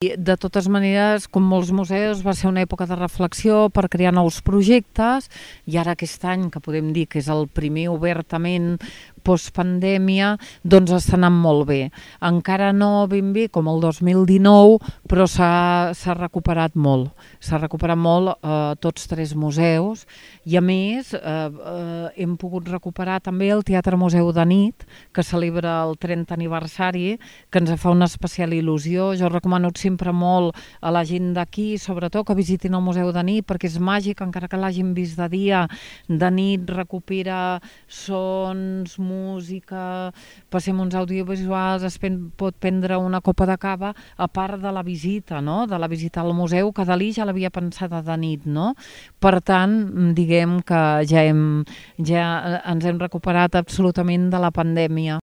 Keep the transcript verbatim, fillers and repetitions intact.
De totes maneres, com molts museus, va ser una època de reflexió per crear nous projectes i ara aquest any, que podem dir que és el primer obertament postpandèmia, doncs està anant molt bé. Encara no ben bé com el dos mil dinou, però s'ha recuperat molt. S'ha recuperat molt eh, tots tres museus i a més eh, eh, hem pogut recuperar també el Teatre Museu de Nit, que celebra el trentè aniversari, que ens fa una especial il·lusió. Jo recomano sempre molt a la gent d'aquí, sobretot que visitin el Museu de Nit, perquè és màgic, encara que l'hagin vist de dia, de nit recupera sons, música, passem uns audiovisuals, es pot prendre una copa de cava, a part de la visita, no? De la visita al museu, que Dalí ja l'havia pensada de nit, no? Per tant, diguem que ja, hem, ja ens hem recuperat absolutament de la pandèmia.